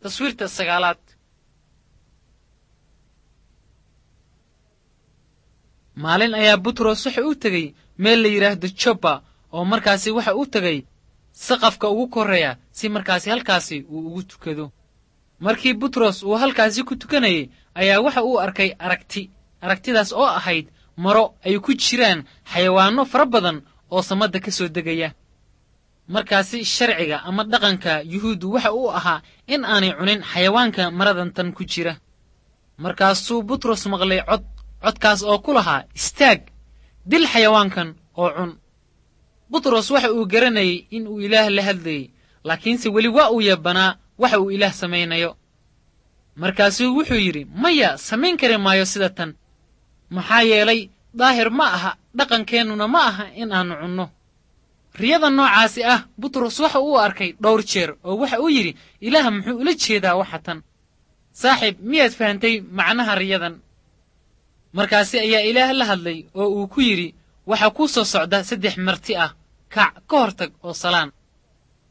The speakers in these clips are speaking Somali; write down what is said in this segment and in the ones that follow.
Taswiirta sagaalaad. Maalin ayaa Butros waxa uu tegey meel la yidhaahdo Joppa, oo markaasi waxa uu tegey saqafka ugu korreeya si markaasi halkaasi uu ugu tukado. Markii Butros uu halkaasi ku tukanayay ayaa waxa uu arkay aragti, aragtidaas oo ahayd maro ay ku jiraan xayawaanno fara badan oo samadda ka soo degaya. Markaasi sharciga ama dhaqanka Yuhuuddu waxa uu ahaa in aanay cunin xayawaanka maradantan ku jira. Markaasuu Butros maqlay cod, codkaas oo ku lahaa, "Istaag, dil xayawaankan oo cun." Butros waxa uu garanayay in uu Ilaah la hadlayey, laakiinse weli waa uu yabanaa waxa uu Ilaah samaynayo. Markaasuu wuxuu yidhi, "Maya, samayn kari maayo sida tan, maxaa yeelay daahir ma aha, dhaqankeennuna ma aha in aannu cunno." Riyada noocaasi ah Butros waxa uu arkay dhowr jeer, oo waxa uu yidhi, "Ilaah muxuu ula jeedaa waxa tan?" Saaxiib, miyaad fahantay macnaha riyadan? Markaasi ayaa Ilaah la hadlay oo uu ku yidhi, "Waxaa kuu soo socda 3 marti ah, kac, ka hortag oo salaan."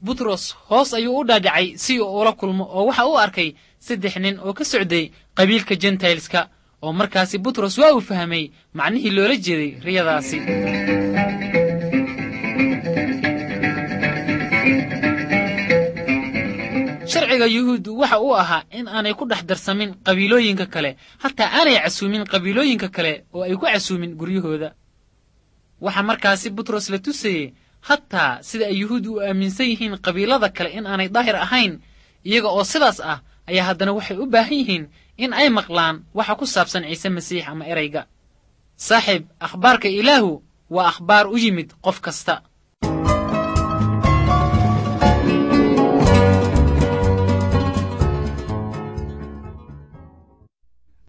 Butros hoos ayuu u dhaadhacay si uu ula kulmo, oo waxa uu arkay 3 nin oo ka socday qabiilka Jentailska, oo markaasi Butros waa uu fahmay macnihii loola jeeday riyadaasi. Sharciga Yuhuuddu waxa uu ahaa in aanay ku dhex darsamin qabiilooyinka kale, hataa aanay casuumin qabiilooyinka kale oo ay ku casuumin guryahooda. Waxa markaasi Butros la tusayey hataa sida ay Yuhuuddu u aaminsan yihiin qabiilada kale in aanay daahir ahayn. Iyaga oo sidaas ah ayaa haddana waxay u baahan yihiin in ay maqlaan waxa ku saabsan Ciise Masiix ama erayga. Saaxiib, akhbaarka Ilaahu waa akhbaar u yimid qof kasta.